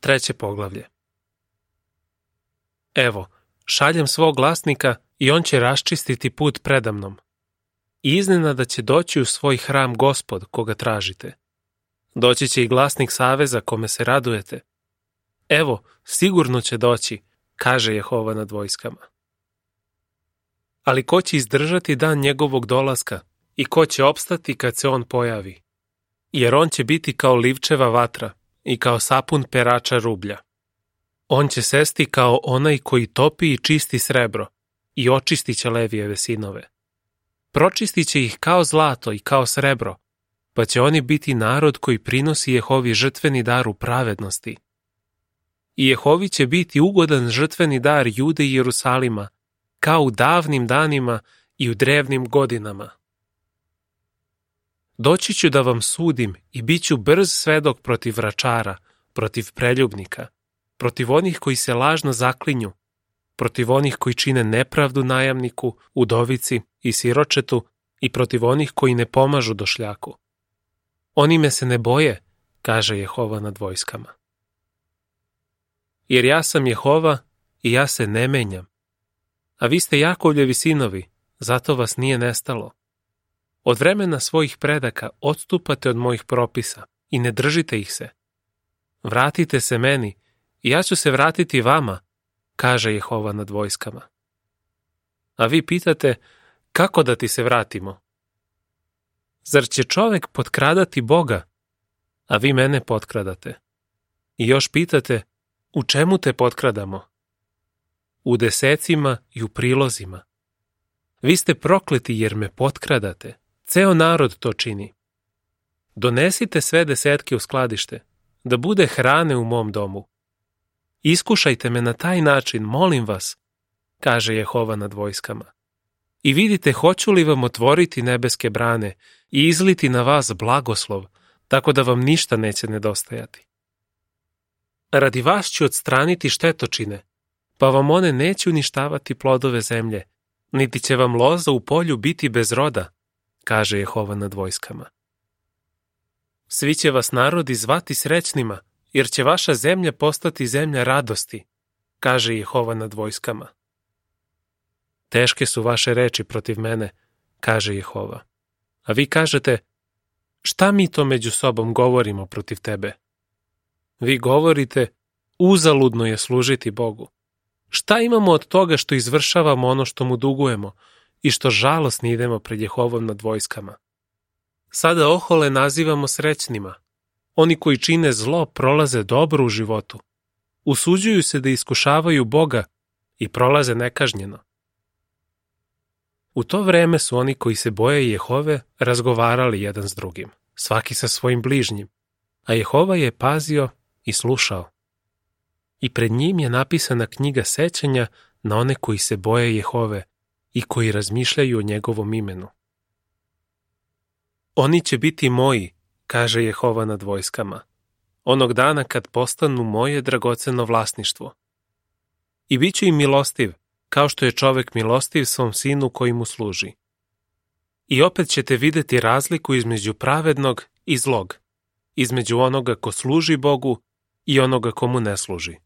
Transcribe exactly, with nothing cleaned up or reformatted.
Treće poglavlje. Evo, šaljem svog glasnika i on će raščistiti put predamnom. I iznenada će doći u svoj hram Gospod, koga tražite. Doći će i glasnik saveza, kome se radujete. Evo, sigurno će doći, kaže Jehova nad vojskama. Ali ko će izdržati dan njegovog dolaska i ko će opstati kad se on pojavi? Jer on će biti kao livčeva vatra i kao sapun perača rublja. On će sesti kao onaj koji topi i čisti srebro i očistit će Levijeve sinove. Pročistit će ih kao zlato i kao srebro, pa će oni biti narod koji prinosi Jehovi žrtveni dar u pravednosti. I Jehovi će biti ugodan žrtveni dar Jude i Jerusalima, kao u davnim danima i u drevnim godinama. Doći ću da vam sudim i bit ću brz svedok protiv vračara, protiv preljubnika, protiv onih koji se lažno zaklinju, protiv onih koji čine nepravdu najamniku, udovici i siročetu i protiv onih koji ne pomažu došljaku. Oni me se ne boje, kaže Jehova nad vojskama. Jer ja sam Jehova i ja se ne menjam. A vi ste Jakovljevi sinovi, zato vas nije nestalo. Od vremena svojih predaka odstupate od mojih propisa i ne držite ih se. Vratite se meni i ja ću se vratiti vama, kaže Jehova nad vojskama. A vi pitate, kako da ti se vratimo? Zar će čovek potkradati Boga, a vi mene potkradate? I još pitate, u čemu te potkradamo? U desecima i u prilozima. Vi ste prokleti jer me potkradate, ceo narod to čini. Donesite sve desetke u skladište, da bude hrane u mom domu. Iskušajte me na taj način, molim vas, kaže Jehova nad vojskama. I vidite hoću li vam otvoriti nebeske brane i izliti na vas blagoslov, tako da vam ništa neće nedostajati. Radi vas ću odstraniti štetočine, pa vam one neće uništavati plodove zemlje, niti će vam loza u polju biti bez roda, kaže Jehova nad vojskama. Svi će vas narodi zvati srećnima, jer će vaša zemlja postati zemlja radosti, kaže Jehova nad vojskama. Teške su vaše reči protiv mene, kaže Jehova. A vi kažete, šta mi to među sobom govorimo protiv tebe? Vi govorite, uzaludno je služiti Bogu. Šta imamo od toga što izvršavamo ono što mu dugujemo i što žalosni idemo pred Jehovom nad vojskama? Sada ohole nazivamo srećnima. Oni koji čine zlo prolaze dobro u životu. Usuđuju se da iskušavaju Boga i prolaze nekažnjeno. U to vreme su oni koji se boje Jehove razgovarali jedan s drugim, svaki sa svojim bližnjim, a Jehova je pazio i slušao. I pred njim je napisana knjiga sećanja na one koji se boje Jehove i koji razmišljaju o njegovom imenu. Oni će biti moji, kaže Jehova nad vojskama, onog dana kad postanu moje dragoceno vlasništvo. I bit ću im milostiv, kao što je čovek milostiv svom sinu koji mu služi. I opet ćete videti razliku između pravednog i zlog, između onoga ko služi Bogu i onoga komu ne služi.